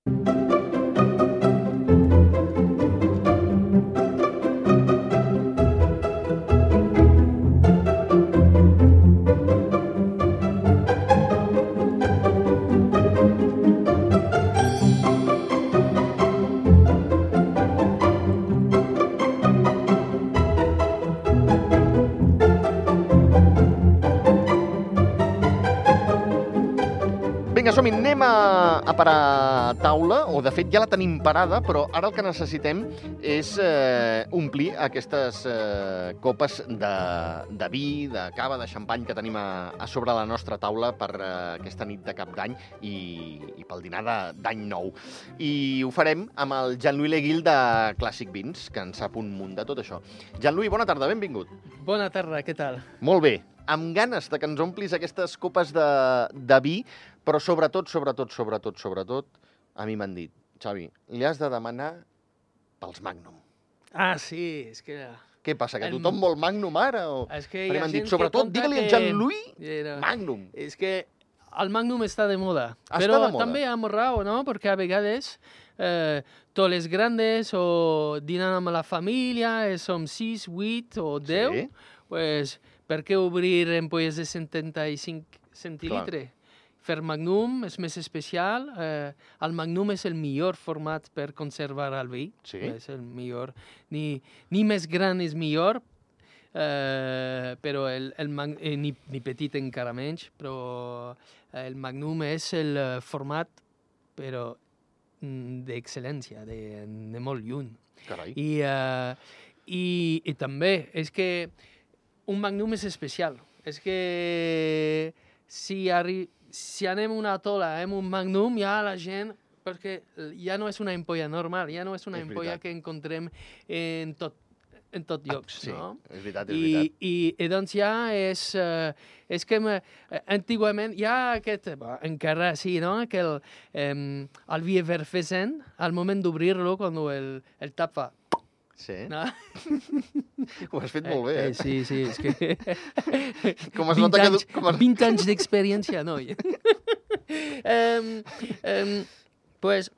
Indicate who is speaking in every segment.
Speaker 1: Vinga, som-hi, anem a parar taula, o de fet ja la tenim parada, però ara el que necessitem és omplir aquestes copes de vi, de cava, de xampany que tenim a sobre la nostra taula per aquesta nit de Cap d'Any i pel dinar d'Any Nou. I ho farem amb el Jean-Louis Leguil de Clàssic Vins, que en sap un munt de tot això. Jean-Louis, bona tarda, benvingut.
Speaker 2: Bona tarda, què tal?
Speaker 1: Molt bé, amb ganes de que ens omplis aquestes copes de vi, però sobretot, a mi m'han dit, Xavi, li has de demanar pels Magnum.
Speaker 2: Ah, sí, és que...
Speaker 1: Què passa, que tothom vol Magnum ara?
Speaker 2: És que
Speaker 1: hi ha gent sobretot, digue-li a Jean-Louis Magnum.
Speaker 2: És que el Magnum està de moda.
Speaker 1: Però
Speaker 2: també amb raó, no? Perquè a vegades tots els grans o dinant amb la família, som 6, 8 o 10, pues, per què obrir ampolles de 75 centilitres? Fer Magnum és més especial. El Magnum és el millor format per conservar el vi.
Speaker 1: Sí.
Speaker 2: És el millor. Ni més gran és millor, però ni petit encara menys, però el Magnum és el format però d'excel·lència, de molt lluny.
Speaker 1: Carai.
Speaker 2: I també és que un Magnum és especial. És que si anem a una tola amb un Magnum, ja la gent... Perquè ja no és una ampolla normal, ja no és una ampolla que encontrem en tot llocs, no?
Speaker 1: És veritat, és veritat.
Speaker 2: I doncs ja és que antigament hi ha aquest... Encara sí, no? Que el vi efervescent, al moment d'obrir-lo, quan el tap fa...
Speaker 1: Sí.
Speaker 2: No?
Speaker 1: Ho has fet molt bé, eh?
Speaker 2: Sí, és que...
Speaker 1: Com es nota que...
Speaker 2: 20 anys d'experiència, noi. Pues,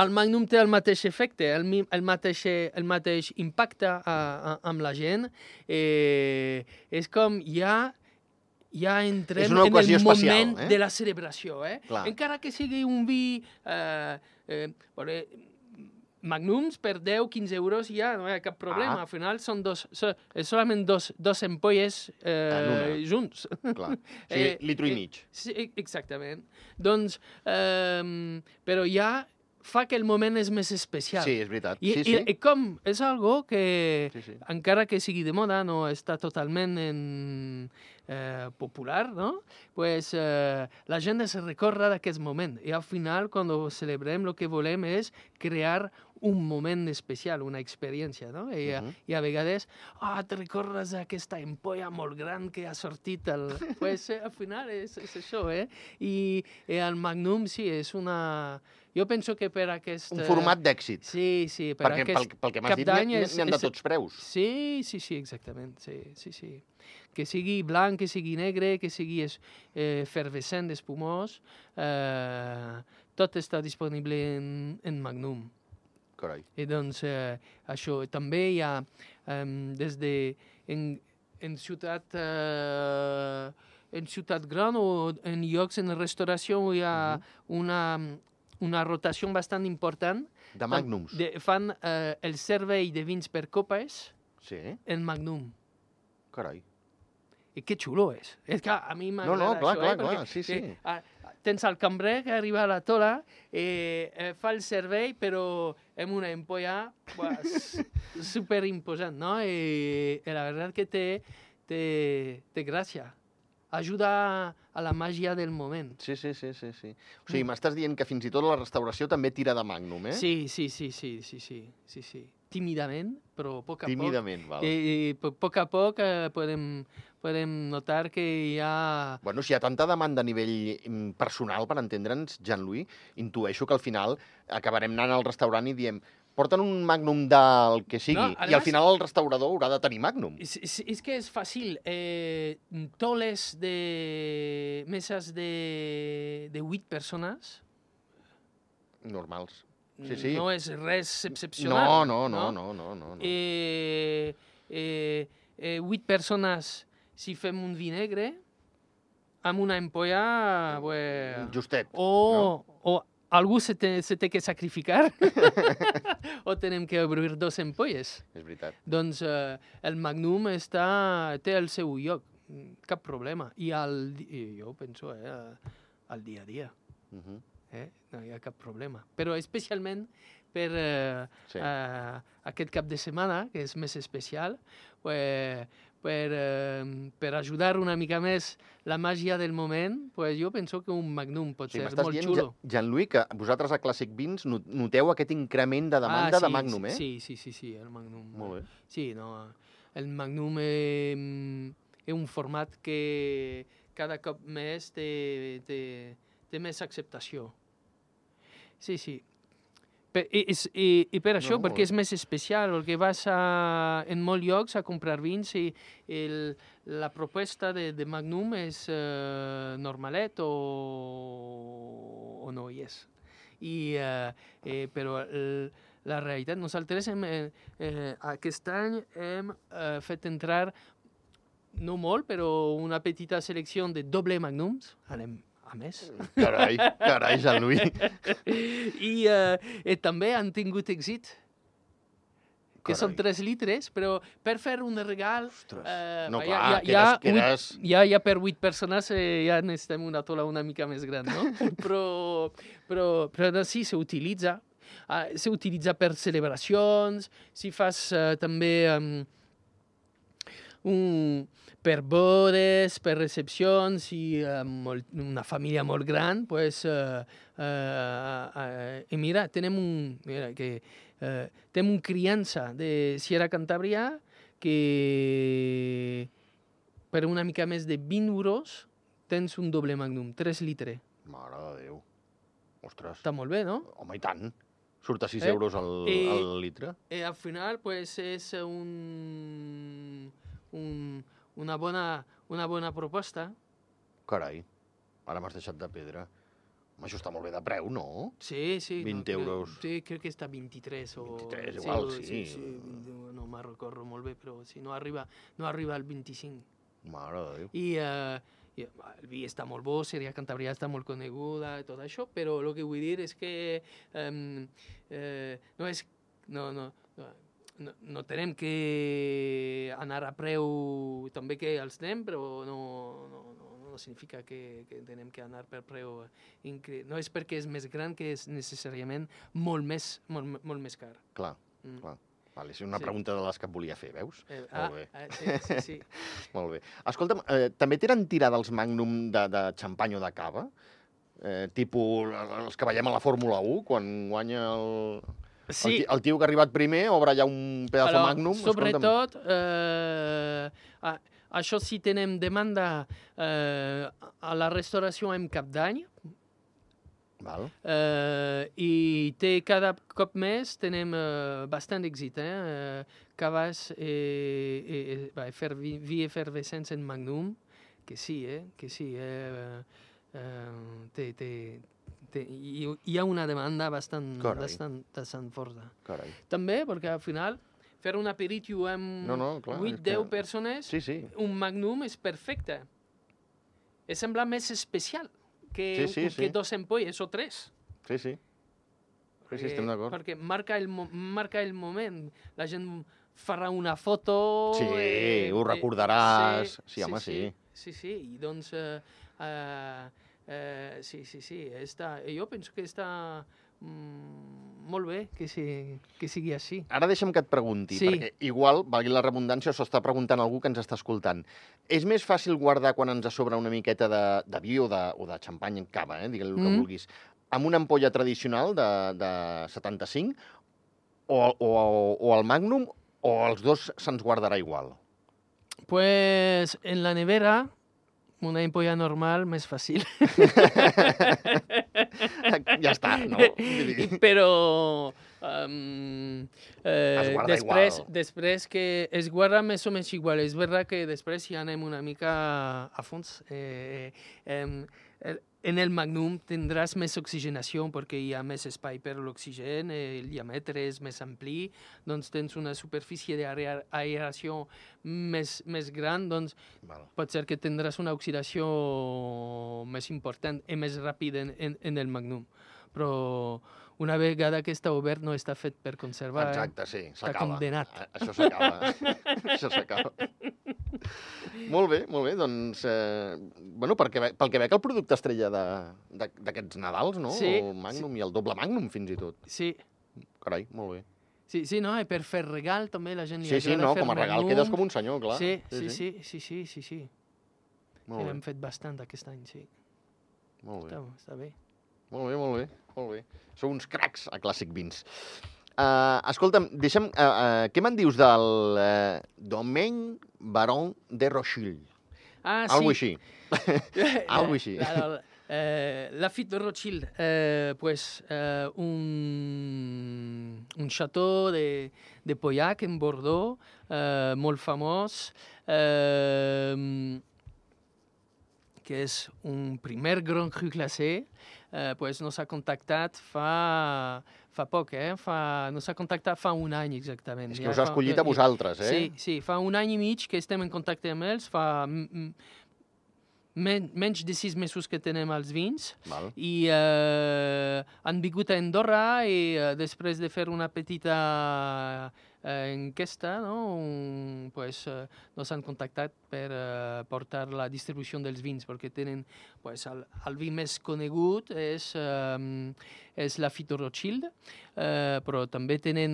Speaker 2: el Magnum té el mateix efecte, el mateix impacte amb la gent. És com ja entrem en el moment de la celebració. Encara que sigui un vi... Magnums per 10-15 euros ja no hi ha cap problema. Al final són solament dos ampolles junts.
Speaker 1: Clar. O sigui, litro i mig.
Speaker 2: Sí, exactament. Doncs, però ja fa que el moment és més especial.
Speaker 1: Sí, és veritat.
Speaker 2: I com és algo que, encara que sigui de moda, no està totalment popular, no? Pues la gent es recorda d'aquest moment. I al final, quan celebrem, el que volem és crear un moment especial, una experiència, no? I a vegades, te recordes d'aquesta ampolla molt gran que ha sortit. Pues al final és això, I el Magnum, sí, és una... Jo penso que per aquest...
Speaker 1: Un format d'èxit.
Speaker 2: Sí,
Speaker 1: per aquest pel que m'has dit, n'hi ha de tots preus.
Speaker 2: Sí, exactament. Sí. Que sigui blanc, que sigui negre, que sigui efervescent, espumós, tot està disponible en Magnum.
Speaker 1: Carai.
Speaker 2: I doncs això també hi ha des de en ciutat gran o en llocs en restauració hi ha una rotació bastant important.
Speaker 1: De Magnums.
Speaker 2: Fan el servei de vins per copes en Magnum.
Speaker 1: Carai.
Speaker 2: I que xulo és. És que a mi m'agrada
Speaker 1: això. Clar, sí.
Speaker 2: Tens el cambrer que arriba a la tola, fa el servei, però amb una ampolla superimposant, no? I la veritat que té gràcia. Ajuda a la màgia del moment.
Speaker 1: Sí. O sigui, m'estàs dient que fins i tot la restauració també tira de Magnum, eh?
Speaker 2: Sí. Tímidament, però a poc a poc.
Speaker 1: Tímidament, val.
Speaker 2: I a poc podem notar que hi ha...
Speaker 1: Bueno, si hi ha tanta demanda a nivell personal, per entendre'ns, Jean-Louis, intueixo que al final acabarem anant al restaurant i diem porten un Magnum del que sigui, i al final el restaurador haurà de tenir Magnum.
Speaker 2: És que és fàcil. Toles de meses de 8 persones
Speaker 1: Normals. Sí, sí.
Speaker 2: No és res excepcional.
Speaker 1: No.
Speaker 2: 8 persones, si fem un vi negre, amb una ampolla...
Speaker 1: Justet.
Speaker 2: O algú se té que sacrificar o tenem que obrir 2 ampolles.
Speaker 1: És veritat.
Speaker 2: Doncs el Magnum té el seu lloc, cap problema. I jo penso al dia a dia. No hi ha cap problema. Però especialment per aquest cap de setmana, que és més especial, per ajudar una mica més la màgia del moment, jo penso que un Magnum pot ser molt xulo.
Speaker 1: M'estàs dient, Jean-Louis, que vosaltres a Clàssic Vins noteu aquest increment de demanda de Magnum, eh?
Speaker 2: Sí, el Magnum.
Speaker 1: Molt bé.
Speaker 2: Sí, no, el Magnum és un format que cada cop més té més acceptació. Sí. I per això, perquè és més especial, perquè vas en molts llocs a comprar vins i la proposta de Magnum és normalet o no hi és. Però la realitat, nosaltres aquest any hem fet entrar, no molt, però una petita selecció de doble Magnums, anem a més.
Speaker 1: Carai, Jean-Louis.
Speaker 2: I també han tingut èxit, que són 3 litres, però per fer un regal...
Speaker 1: No, clar,
Speaker 2: ja per 8 persones ja necessitem una tola una mica més gran, no? Però sí, s'utilitza. S'utilitza per celebracions, si fas també... per bodes, per recepcions i una família molt gran, mira, tenim un criança de Sierra Cantàbria que per una mica més de 20 euros tens un doble Magnum, 3 litres.
Speaker 1: Mare de Déu. Ostres.
Speaker 2: Està molt bé, no?
Speaker 1: Home, i tant. Surt a 6 euros al litre.
Speaker 2: Al final, és una bona proposta.
Speaker 1: Carai, ara m'has deixat de pedra. Home, això està molt bé de preu, no?
Speaker 2: Sí.
Speaker 1: 20 euros.
Speaker 2: Sí, crec que està 23 o...
Speaker 1: 23, igual, sí.
Speaker 2: No me'n recordo molt bé, però no arriba al 25.
Speaker 1: Mare de Déu.
Speaker 2: I el vi està molt bo, Sierra Cantàbria està molt coneguda i tot això, però el que vull dir és que no tenem que anar a preu també que els tenim, però no significa que tenem que anar per preu increïble. No és perquè és més gran que és necessàriament molt més car.
Speaker 1: Clar. Vale, és una pregunta de les que et volia fer, veus?
Speaker 2: Molt bé. Sí.
Speaker 1: Molt bé. Escolta'm, també tenen tirada els Magnum de xampany o de cava? Tipus els que veiem a la Fórmula 1, quan guanya el tio que ha arribat primer, obre allà un pedazo Magnum.
Speaker 2: Sobretot, això sí tenem demanda a la restauració en cap d'any, i cada cop més tenem bastant èxit. Caves fer vi efervescents en Magnum, que sí. Hi ha una demanda bastant forta.
Speaker 1: Carai.
Speaker 2: També perquè al final fer un aperitiu amb 8-10 persones, un Magnum és perfecte. Sembla més especial que 2 ampolles o 3.
Speaker 1: Sí, estem d'acord.
Speaker 2: Perquè marca el moment. La gent farà una foto...
Speaker 1: Sí, ho recordaràs. Sí, home, sí.
Speaker 2: Sí, i doncs... sí, jo penso que està molt bé que sigui així.
Speaker 1: Ara deixa'm que et pregunti, perquè igual, valgui la redundància, s'ho està preguntant algú que ens està escoltant. És més fàcil guardar quan ens sobra una miqueta de vi o de xampany en cava, digue-li el que vulguis, amb una ampolla tradicional de 75 o el Magnum, o els dos se'ns guardarà igual?
Speaker 2: Pues en la nevera, una ampolla normal, més fàcil.
Speaker 1: Ja està, no?
Speaker 2: Però
Speaker 1: després
Speaker 2: que es guarda més o menys igual. És veritat que després ja anem una mica a fons. en el Magnum tindràs més oxigenació perquè hi ha més espai per l'oxigen, el diàmetre és més ampli, doncs tens una superfície d'aeració més gran, doncs pot ser que tindràs una oxidació més important i més ràpida en el Magnum. Però una vegada que està obert no està fet per conservar.
Speaker 1: Exacte, sí, s'acaba.
Speaker 2: Està condemnat.
Speaker 1: Això s'acaba. Això s'acaba. Molt bé, doncs, pel que veig el producte estrella d'aquests Nadals, no?
Speaker 2: Sí.
Speaker 1: El Magnum i el doble Magnum, fins i tot.
Speaker 2: Sí.
Speaker 1: Carai, molt bé.
Speaker 2: Sí, no, i per fer regal també la gent li agrada
Speaker 1: fer
Speaker 2: fer
Speaker 1: com a regal quedes com un senyor, clar.
Speaker 2: Sí.
Speaker 1: Molt bé.
Speaker 2: Hem fet bastant aquest any, sí.
Speaker 1: Molt bé.
Speaker 2: Està bé.
Speaker 1: Molt bé. Sou uns cracs a Clàssic Vins. Escolta'm, deixa'm... què me'n dius del Domaine Baron de Rothschild?
Speaker 2: Ah,
Speaker 1: Algo
Speaker 2: sí.
Speaker 1: així. Algo així.
Speaker 2: Lafitte de Rothschild, un château de Pauillac en Bordeaux, molt famós, que és un primer Grand Cru classé, nos ha contactat fa poc, nos ha contactat fa un any exactament.
Speaker 1: És que us ha escollit a vosaltres, eh?
Speaker 2: Sí, fa un any i mig que estem en contacte amb ells, fa menys de 6 mesos que tenem els vins.
Speaker 1: Val.
Speaker 2: I han vingut a Andorra i després de fer una petita enquesta, nos han contactat per portar la distribució dels vins, perquè tenen el vi més conegut és Lafitte de Rothschild, però també tenen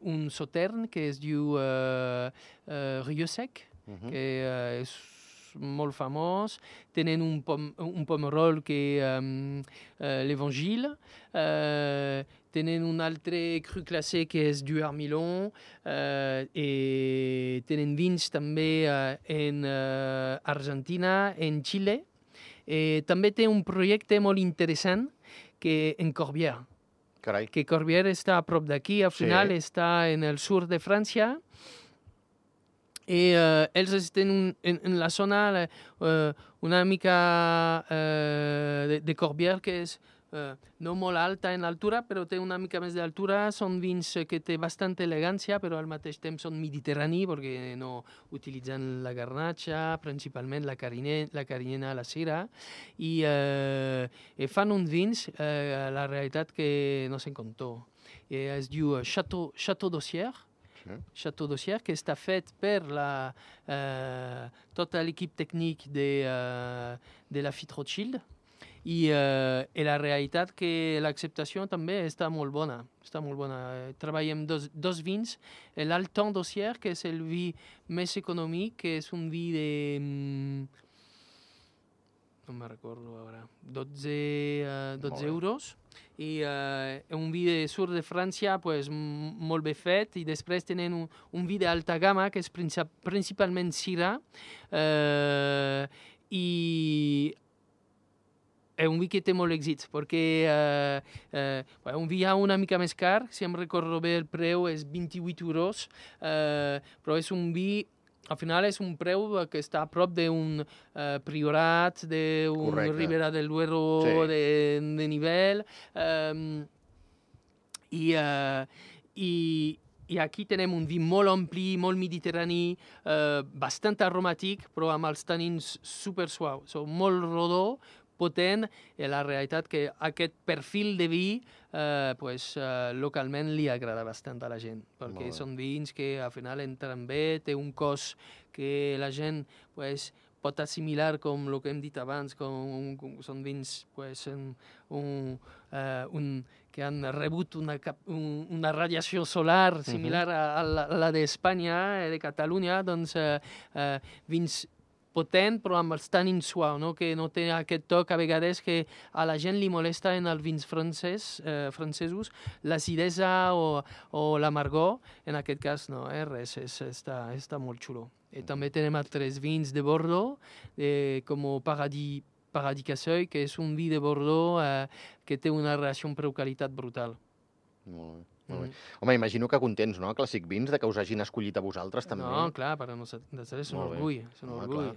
Speaker 2: un sautern que es diu Rieu Sec, que és molt famós. Tenen un pomerol que l'Evangile. Tenen un altre cru classé que és du Armilon. I tenen vins també en Argentina, en Xile. També té un projecte molt interessant que en Corbière.
Speaker 1: Carai.
Speaker 2: Que Corbière està a prop d'aquí, al final està en el sud de França. I ells estan en la zona una mica de Corbière, que és no molt alta en altura, però té una mica més d'altura. Són vins que té bastanta elegància, però al mateix temps són mediterranis, perquè no utilitzen la garnatxa, principalment la carinyena, la cera, i fan uns vins, la realitat que no se'n comptó. Es diu Château d'Ossière, Château d'Ossière, que està fet per tota l'equip tècnic de Lafitte Rothschild, i la realitat que l'acceptació també està molt bona. Treballem dos vins, l'Altan d'Ossière, que és el vi més econòmic, que és un vi de... no me'n recordo ara, 12 euros, i un vi de sud de França molt bé fet, i després tenen un vi d'alta gamma que és principalment Syrah, i és un vi que té molt èxit, perquè un vi ja una mica més car, si em recordo bé el preu és 28 euros, però és un vi, al final és un preu que està a prop d'un Priorat, d'un Ribera del Duero de nivell, i aquí tenem un vi molt ampli, molt mediterrani, bastant aromàtic, però amb els tanins super suaus, molt rodó, potent, i la realitat que aquest perfil de vi localment li agrada bastant a la gent, perquè són vins que al final entren bé, té un cos que la gent pot assimilar, com el que hem dit abans, són vins que han rebut una radiació solar similar a la d'Espanya, de Catalunya, doncs vins potent, però amb els tanins suaus, que no té aquest toc a vegades que a la gent li molesta en els vins francesos, l'acidesa o l'amargor. En aquest cas no, res, està molt xulo. I també tenim altres vins de Bordeaux, com Paradis Casseuil, que és un vi de Bordeaux que té una relació preu-qualitat brutal.
Speaker 1: Molt bé. Home, imagino que contents, no, Clàssic Vins, de que us hagin escollit a vosaltres, també.
Speaker 2: No, clar, per a nosaltres és un orgull. És un orgull.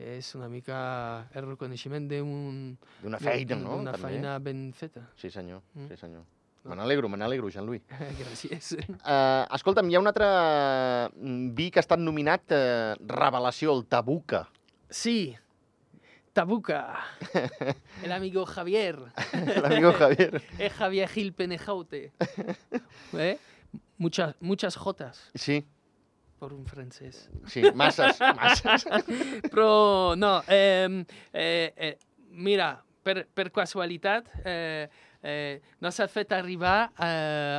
Speaker 2: és una mica el reconeixement
Speaker 1: d'una feina, no?
Speaker 2: D'una feina ben feta.
Speaker 1: Sí, senyor. Sí, senyor. Me n'alegro, Jean-Louis.
Speaker 2: Gràcies.
Speaker 1: Escolta'm, hi ha un altre vi que ha estat nominat Revelació, el Tabuca.
Speaker 2: Sí, Tabuca. El amigo Javier.
Speaker 1: El amigo Javier.
Speaker 2: Es Javier Gil Penejaute. Muchas jotas.
Speaker 1: Sí.
Speaker 2: Per un francès.
Speaker 1: Sí, masses.
Speaker 2: Però, no, mira, per casualitat, no s'ha fet arribar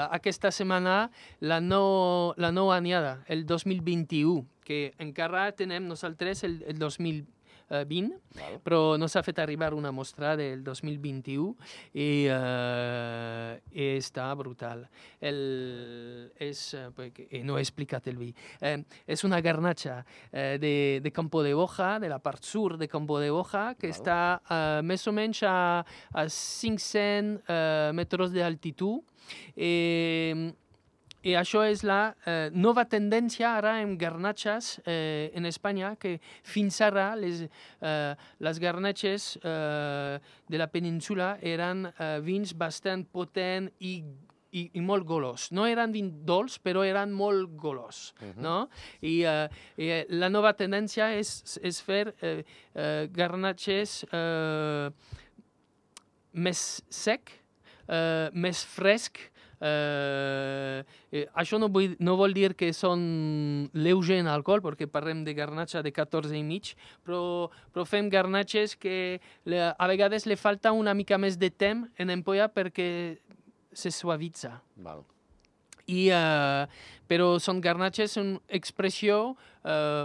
Speaker 2: aquesta setmana la nova anyada, el 2021, que encara tenem nosaltres el 2020, però no s'ha fet arribar una mostra del 2021 i està brutal. No he explicat el vi. És una garnatxa de Campo de Boja, de la part sud de Campo de Boja, que està més o menys a 500 metres d'altitud. I això és la nova tendència ara en garnatxes en Espanya, que fins ara les garnatxes de la península eren vins bastant potents i molt golós. No eren vins dolç, però eren molt golós. No? I la nova tendència és fer garnatxes més sec, més fresc. Això no vol dir que són lleuger en alcohol, perquè parlem de garnatxa de 14,5, però fem garnatxes que a vegades li falta una mica més de temps en ampolla perquè se suavitza.
Speaker 1: Val.
Speaker 2: Però són garnatxes amb expressió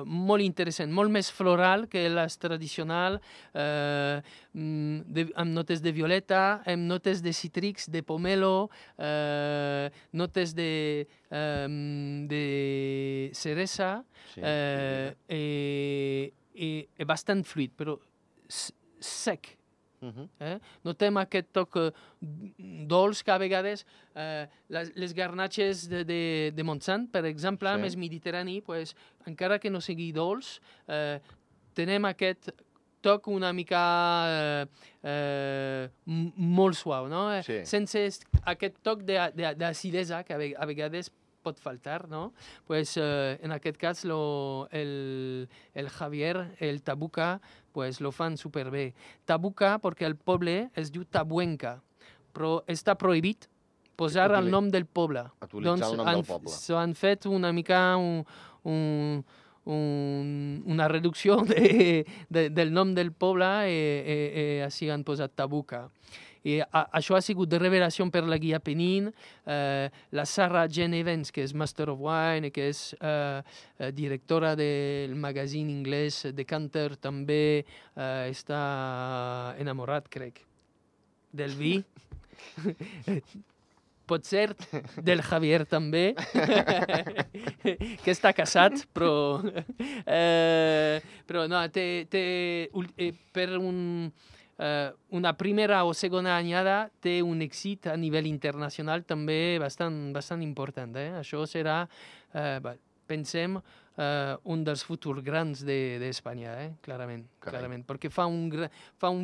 Speaker 2: molt interessant, molt més floral que les tradicionals, amb notes de violeta, amb notes de cítrics, de pomelo, notes de ceresa, i bastant fluid, però sec. Notem aquest toc dolç que a vegades les garnatxes de Montsant, per exemple, més mediterrani, encara que no sigui dolç, tenem aquest toc una mica molt suau, no? Sense aquest toc d'acidesa que a vegades pot faltar, no? En aquest cas el Javier, el Tabuca, lo fan superbé. Tabuca perquè el poble es diu Tabuenca, però està prohibit posar el nom del poble.
Speaker 1: Utilitzar el nom del poble.
Speaker 2: Han fet una mica una reducció del nom del poble i així han posat Tabuca. I això ha sigut de revelació per la Guia Penin. La Sarah Jane Evans, que és Master of Wine, que és directora del magazín anglès Decanter, també està enamorat, crec, del vi. Pot ser del Javier també, que està casat, però no, per una primera o segona anyada té un èxit a nivell internacional també bastant important. Això serà, pensem, un dels futurs grans d'Espanya, clarament. Perquè fa un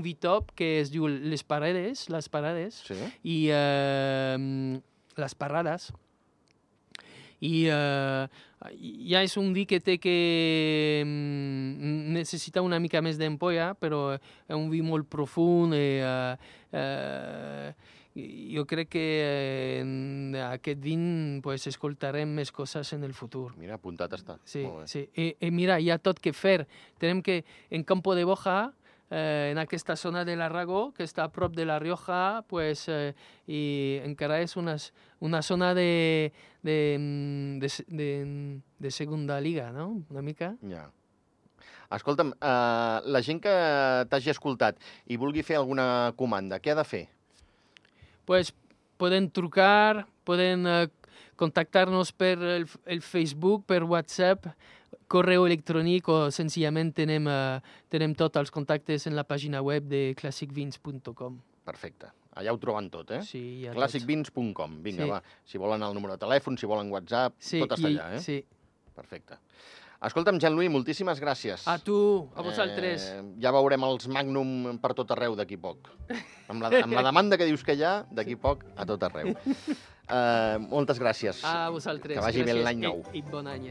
Speaker 2: vi top que es diu Les Parades, i Les Parrades. I ja és un vi que necessita una mica més d'ampolla, però és un vi molt profund i jo crec que en aquest vin escoltarem més coses en el futur.
Speaker 1: Mira, apuntat està.
Speaker 2: Sí. I mira, hi ha tot que fer. Tenim que en Campo de Boja, en aquesta zona de l'Aragó, que està a prop de la Rioja, i encara és una zona de segunda liga, no? Una mica.
Speaker 1: Ja. Escolta'm, la gent que t'hagi escoltat i vulgui fer alguna comanda, què ha de fer?
Speaker 2: Poden trucar, poden contactar-nos per el Facebook, per WhatsApp, correu electrònic, o senzillament tenim tots els contactes en la pàgina web de classicvins.com.
Speaker 1: Perfecte. Allà ho troben tot,
Speaker 2: Sí, ja
Speaker 1: classicvins.com. Vinga, va. Si volen el número de telèfon, si volen WhatsApp, tot està allà,
Speaker 2: Sí.
Speaker 1: Perfecte. Escolta'm, Jean-Louis, moltíssimes gràcies.
Speaker 2: A tu, a vosaltres.
Speaker 1: Ja veurem els Magnum per tot arreu d'aquí poc. Amb la demanda que dius que hi ha, d'aquí poc a tot arreu. Moltes gràcies.
Speaker 2: A vosaltres.
Speaker 1: Que vagi bé l'any nou.
Speaker 2: I bon any,